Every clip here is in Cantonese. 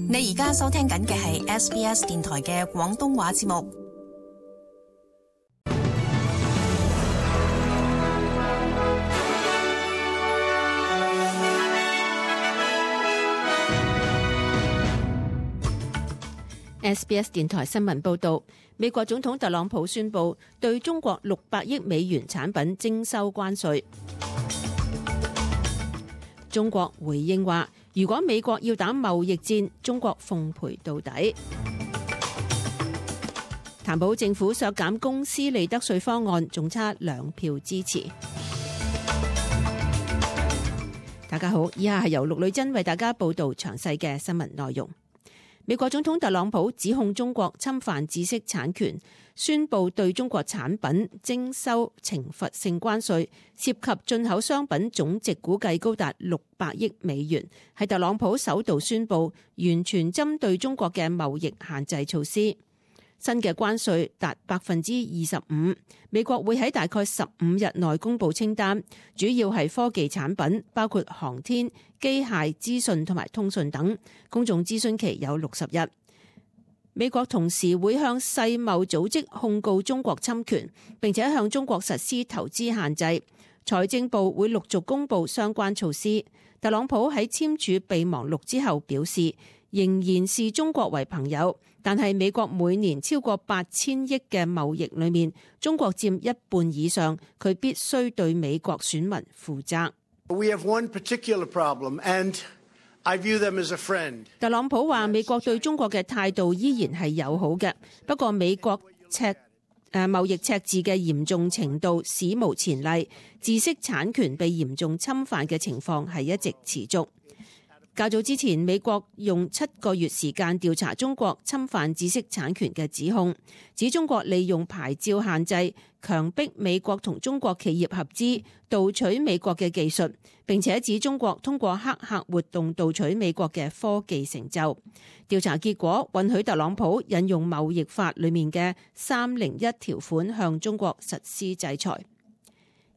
你而家收聽緊嘅係 SBS 電台嘅廣東話節目。SBS 電台新聞報導，美國總統特朗普宣布對中國600億美元產品徵收關稅。中國回應話，如果美國要打貿易戰，中國奉陪到底。譚普政府削減公司利得稅方案，仲差2票支持。大家好，以下係由陸女珍為大家報導詳細嘅新聞內容。美國總統特朗普指控中國侵犯知識產權，宣布對中國產品徵收懲罰性關稅，涉及進口商品總值估計高達600億美元，係特朗普首度宣布完全針對中國嘅貿易限制措施。新嘅關稅達25%，美國會喺大概15日內公布清單，主要係科技產品，包括航天、機械、資訊同埋通訊等。公眾諮詢期有60日。美國同時會向世貿組織控告中國侵權，並且向中國實施投資限制。財政部會陸續公布相關措施。特朗普喺簽署備忘錄之後表示，仍然視中國為朋友，但係美國每年超過8000億嘅貿易裏面，中國佔1半以上，佢必須對美國選民負責。We have one particular problem, and I view them as a friend. 特朗普話美國對中國嘅態度依然係友好嘅，不過美國貿易赤字嘅嚴重程度史無前例，知識產權被嚴重侵犯嘅情況係一直持續。較早之前，美國用7個月時間調查中國侵犯知識產權嘅指控，指中國利用牌照限制強迫美國同中國企業合資盜取美國嘅技術，並且指中國通過黑客活動盜取美國嘅科技成就。調查結果允許特朗普引用貿易法裡面嘅301條款向中國實施制裁。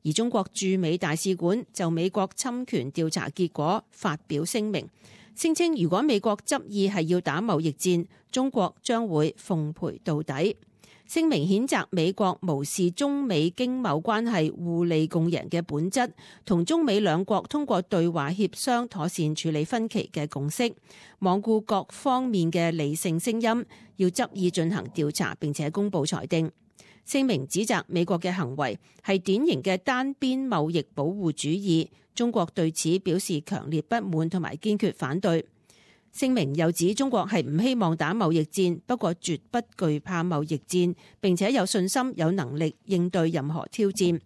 而中國駐美大使館就美國侵權調查結果發表聲明，聲稱如果美國執意係要打貿易戰，中國將會奉陪到底。聲明譴責美國無視中美經貿關係互利共贏嘅本質，同中美兩國通過對話協商妥善處理分歧嘅共識，罔顧各方面嘅理性聲音，要執意進行調查並且公佈裁定。聲明指責美國嘅行為係典型嘅單邊貿易保護主義，中國對此表示強烈不滿同埋堅決反對。聲明又指中國係唔希望打貿易戰，不過絕不懼怕貿易戰，並且有信心有能力應對任何挑戰。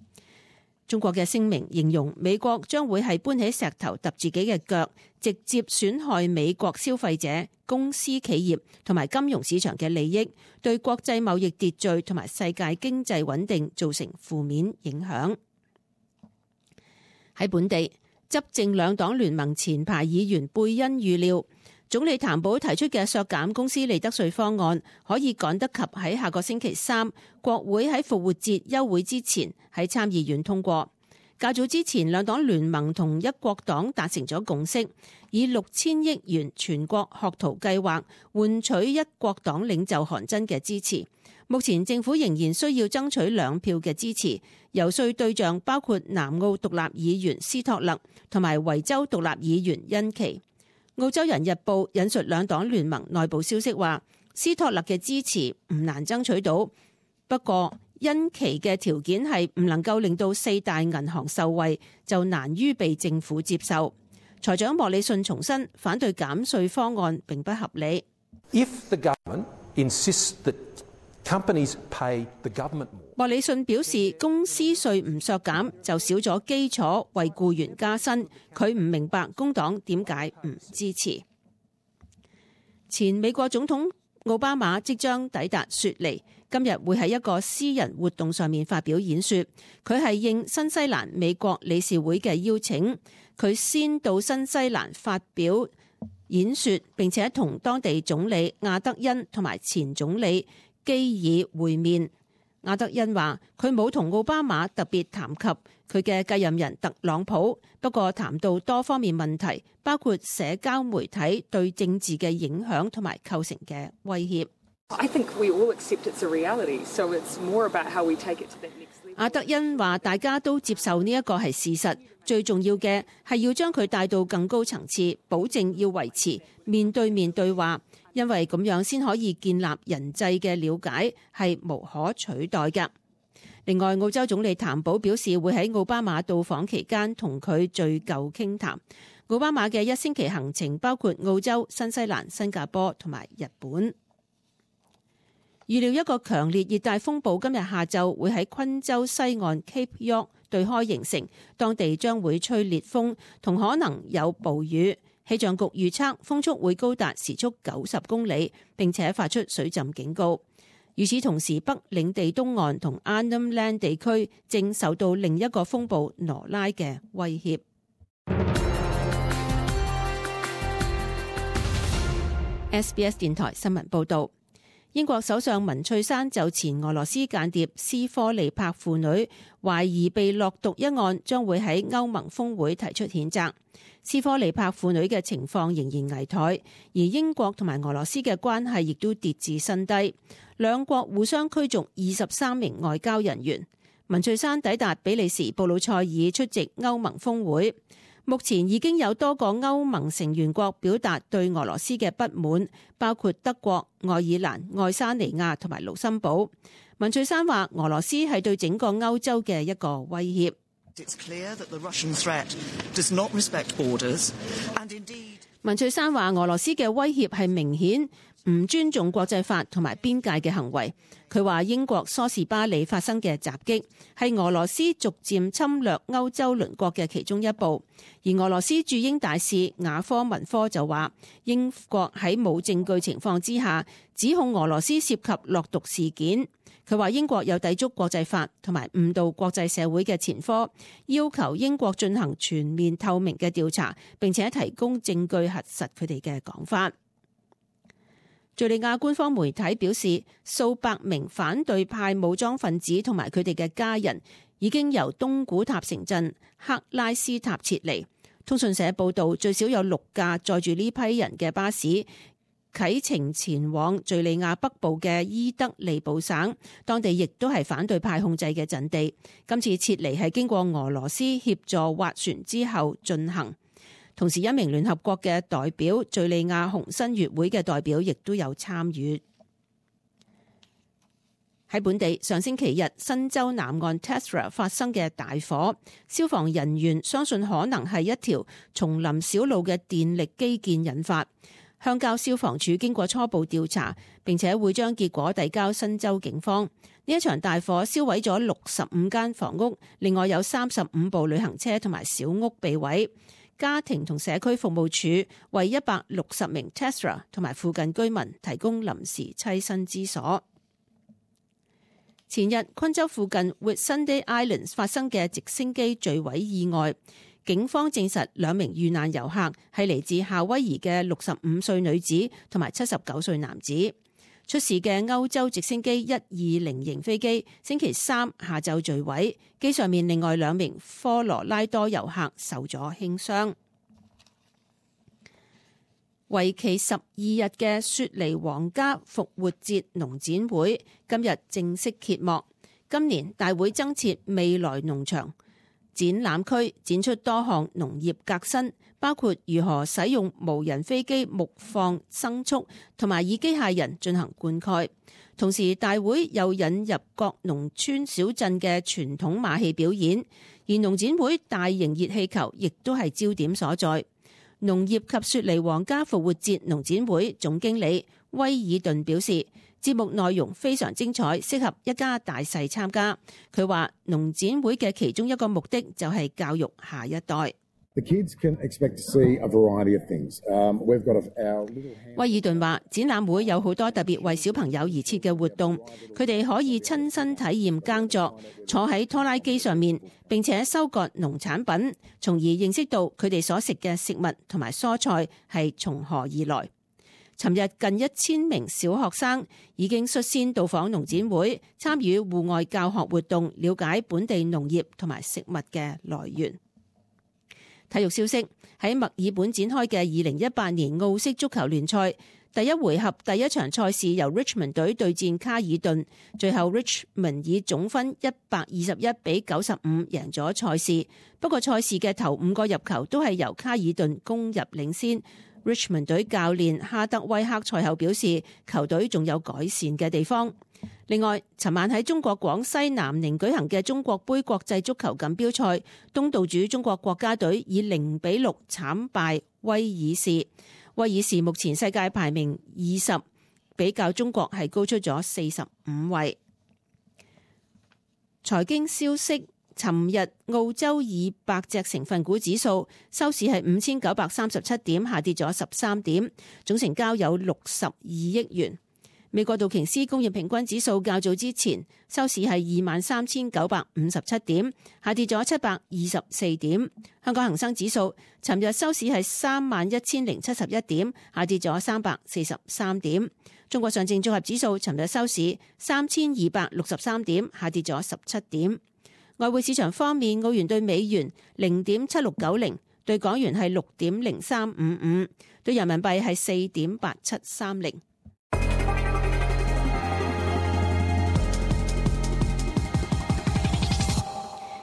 中國嘅聲明形容美國將會係搬起石頭揼自己嘅腳，直接損害美國消費者、公司企業同埋金融市場嘅利益，對國際貿易秩序同埋世界經濟穩定造成負面影響。喺本地，執政兩黨聯盟前排議員貝恩預料，總理譚普提出嘅削減公司利得稅方案可以趕得及喺下個星期3國會喺復活節休會之前喺參議院通過。較早之前，兩黨聯盟同一國黨達成咗共識，以6000億元全國學徒計劃換取一國黨領袖韓真嘅支持。目前政府仍然需要爭取2票嘅支持，游說對象包括南澳獨立議員斯托勒同埋維州獨立議員恩琪。澳洲人日報引述兩黨聯盟內部消息話，斯托勒嘅支持唔難爭取到，不過恩琪嘅條件係唔能夠令到4大銀行受惠，就難於被政府接受。財長莫里遜重申反對減稅方案並不合理。If the government insists that companies pay the government more，莫里遜表示，公司稅唔削減就少咗基礎為僱員加薪，佢唔明白工黨點解唔支持。前美國總統奧巴馬即將抵達雪梨，今日會喺一個私人活動上面發表演說。佢係應新西蘭美國理事會嘅邀請，佢先到新西蘭發表演說，並且同當地總理亞德恩同埋前總理基爾會面。阿德恩話佢冇同奧巴馬特別談及佢嘅繼任人特朗普，不過談到多方面問題，包括社交媒體對政治嘅影響同埋構成嘅威脅。阿德恩話大家都接受呢一個係事實，最重要嘅係要將佢帶到更高層次，保證要維持面對面對話，因為咁樣先可以建立人際嘅了解，係無可取代嘅。另外，澳洲總理譚寶表示會喺奧巴馬到訪期間同佢敘舊傾談。奧巴馬嘅1星期行程包括澳洲、新西蘭、新加坡同埋日本。預料一個強烈熱帶風暴今日下晝會喺昆州西岸 Cape York 對開形成，當地將會吹烈風同可能有暴雨。氣象局預測風速會高達時速90公里，並且發出水浸警告。與此同時，北領地東岸同 Arnhem Land 地區正受到另一個風暴羅拉嘅威脅。SBS 電台新聞報導。英國首相文翠珊就前俄羅斯間諜斯科尼帕父女懷疑被落毒一案，將會喺歐盟峰會提出譴責。斯科尼帕父女嘅情況仍然危殆，而英國同埋俄羅斯嘅關係亦都跌至新低。兩國互相驅逐23名外交人員。文翠珊抵達比利時布魯塞爾出席歐盟峰會。目前已經有多個歐盟成員國表達對俄羅斯嘅不滿，包括德國、愛爾蘭、愛沙尼亞同埋盧森堡。文翠珊話俄羅斯係對整個歐洲嘅一個威脅。文翠珊話俄羅斯嘅威脅係明顯唔尊重國際法同埋邊界嘅行為。佢話英國梳士巴利發生嘅襲擊係俄羅斯逐漸侵略歐洲鄰國嘅其中一步。而俄羅斯駐英大使雅科文科就話英國喺冇證據情況之下指控俄羅斯涉及落毒事件。佢話英國有抵觸國際法同埋誤導國際社會嘅前科，要求英國進行全面透明嘅調查，並且提供證據核實佢哋嘅講法。敘利亞官方媒體表示，數百名反對派武裝分子同埋佢哋嘅家人已經由東古塔城鎮克拉斯塔撤離。通訊社報道，最少有6架載住呢批人嘅巴士啟程前往敘利亞北部嘅伊德利卜省，當地亦都係反對派控制嘅陣地。今次撤離係經過俄羅斯協助斡旋之後進行。同時，一名聯合國嘅代表、敘利亞紅新月會嘅代表亦都有參與。喺本地，上星期日新州南岸 Tessera 發生嘅大火，消防人員相信可能係一條叢林小路嘅電力基建引發。鄉郊消防處經過初步調查，並且會將結果遞交新州警方。呢一場大火燒毀咗65間房屋，另外有35部旅行車同埋小屋被毀。家庭同社區服務處為160名 Tessera 同埋附近居民提供臨時棲身之所。前日，昆州附近 Whitsunday Islands 發生嘅直升機墜毀意外，警方證實2名遇難遊客係嚟自夏威夷嘅65歲女子同埋79歲男子。出事嘅歐洲直升機120型飛機星期3下晝墜毀，機上面另外2名科羅拉多遊客受咗輕傷。為期12日嘅雪梨皇家復活節農展會今日正式揭幕。今年大會增設未來農場展覽區，展出多項農業革新，包括如何使用無人飛機牧放牲畜，同埋以機械人進行灌溉。同時，大會又引入各農村小鎮嘅傳統馬戲表演，而農展會大型熱氣球亦都係焦點所在。農業及雪梨皇家復活節農展會總經理威爾頓表示，節目內容非常精彩，適合一家大細參加。佢話農展會嘅其中一個目的就係教育下一代。威爾頓話，展覽會有好多特別為小朋友而設嘅活動，佢哋可以親身體驗耕作，坐喺拖拉機上面，並且收割農產品，從而認識到佢哋所食嘅食物同埋蔬菜係從何而來。尋日近1000名小學生已經率先到訪農展會，參與戶外教學活動，了解本地農業同埋食物嘅來源。體育消息，喺墨爾本展開嘅2018年澳式足球聯賽第一回合第一場賽事由 Richmond 隊對戰卡爾頓，最後 Richmond 以總分121-95贏咗賽事。不過賽事嘅頭5個入球都係由卡爾頓攻入領先。Richmond 隊教練哈德威克賽後表示，球隊仲有改善嘅地方。另外，尋晚喺中國廣西南寧舉行嘅中國杯國際足球錦標賽，東道主中國國家隊以0-6慘敗威爾士。威爾士目前世界排名20，比較中國係高出咗45位。財經消息，尋日澳洲200隻成分股指數收市係5937點，下跌咗13點，總成交有62億元。美國道瓊斯工業平均指數較早之前收市係23,957點，下跌咗724點。香港恒生指數尋日收市係31,071點，下跌咗343點。中國上證綜合指數尋日收市3263點，下跌咗17點。外匯市場方面，澳元對美元0.7690，對港元係6.0355，對人民幣係4.8730。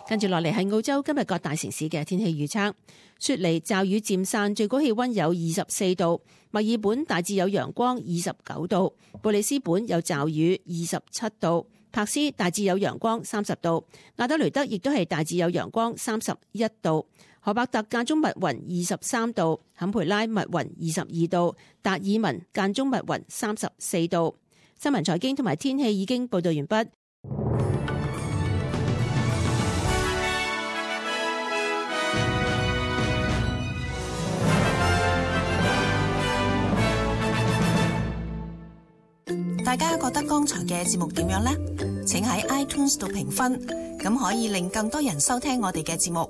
跟住落嚟係澳洲今日各大城市嘅天氣預測。雪梨驟雨漸散，最高氣溫有24度；墨爾本大致有陽光，29度；布里斯本有驟雨，27度；柏斯大致有陽光，30度；亞德雷德亦都係大致有陽光，31度；荷伯特間中密雲，23度；坎培拉密雲，22度；達爾文間中密雲，34度。新聞財經同埋天氣已經報道完畢。大家覺得剛才嘅節目點樣呢？請喺 iTunes 度評分，咁可以令更多人收聽我哋嘅節目。